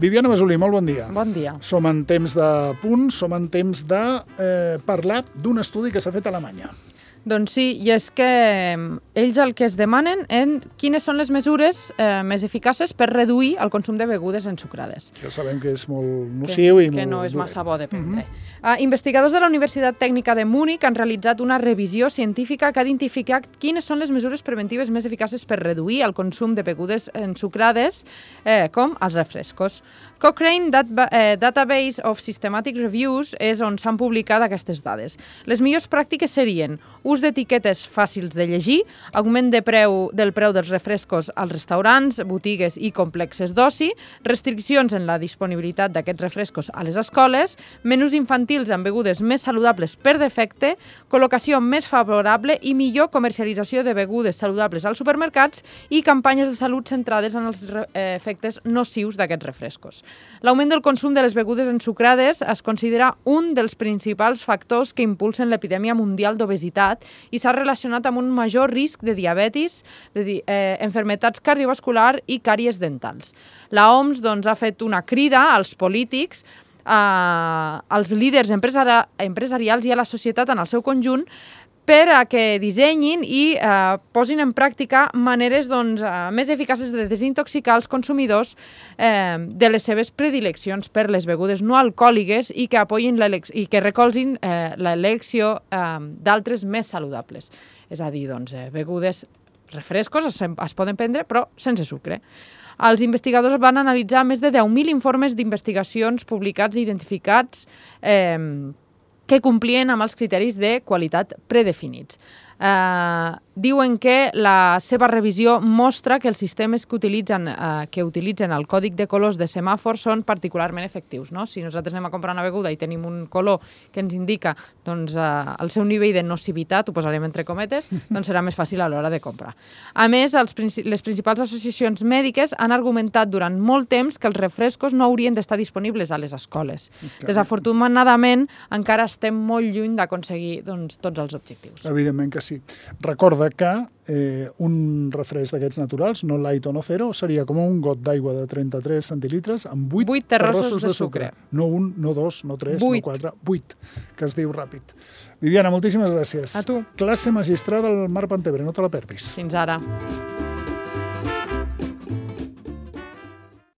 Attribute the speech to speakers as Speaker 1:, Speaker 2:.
Speaker 1: Viviana Masulí, molt bon dia.
Speaker 2: Bon dia.
Speaker 1: Som en temps de punts, som en temps de parlar d'un estudi que s'ha fet a Alemanya.
Speaker 2: Doncs sí, i és que ells el que es demanen és quines són les mesures més eficaces per reduir el consum de begudes ensucrades.
Speaker 1: Ja sabem que és molt nociu i molt
Speaker 2: que no és massa bo de prendre.
Speaker 1: Investigadors
Speaker 2: de la Universitat Tècnica de Múnich han realitzat una revisió científica que ha identificat quines són les mesures preventives més eficaces per reduir el consum de begudes ensucrades, com els refrescos. Cochrane Database of Systematic Reviews és on s'han publicat aquestes dades. Les millors pràctiques serien ús d'etiquetes fàcils de llegir, augment del preu dels refrescos als restaurants, botigues i complexes d'oci, restriccions en la disponibilitat d'aquests refrescos a les escoles, menús infantils amb begudes més saludables per defecte, col·locació més favorable i millor comercialització de begudes saludables als supermercats i campanyes de salut centrades en els efectes nocius d'aquests refrescos. L'augment del consum de les begudes ensucrades es considera un dels principals factors que impulsen l'epidèmia mundial d'obesitat i s'ha relacionat amb un major risc de diabetis, enfermetats cardiovasculars i càries dentals. La OMS ha fet una crida als polítics, als líders empresarials i a la societat en el seu conjunt per a que dissenyin i posin en pràctica maneres més eficaces de desintoxicar els consumidors de les seves predileccions per les begudes no alcohòliques i que apoyin i que recolzin l'elecció d'altres més saludables. És a dir, begudes, refrescos es poden prendre, però sense sucre. Els investigadors van analitzar més de 10.000 informes d'investigacions publicats i identificats que complien amb els criteris de qualitat predefinits. Diuen que la seva revisió mostra que els sistemes que utilitzen el còdic de colors de semàfor són particularment efectius. Si nosaltres anem a comprar una beguda i tenim un color que ens indica el seu nivell de nocivitat, ho posarem entre cometes, doncs serà més fàcil a l'hora de comprar. A més, les principals associacions mèdiques han argumentat durant molt temps que els refrescos no haurien d'estar disponibles a les escoles. Desafortunadament, encara estem molt lluny d'aconseguir tots els objectius.
Speaker 1: Evidentment que sí. Recorda que un refresc d'aquests naturals, no light o no zero, seria com un got d'aigua de 33 centilitres amb 8 terrossos de sucre. No un, no dos, no tres, no quatre, 8, que es diu ràpid. Viviana, moltíssimes gràcies.
Speaker 2: A tu.
Speaker 1: Classe magistral del Marc Pantebre, no te la perdis.
Speaker 2: Fins ara.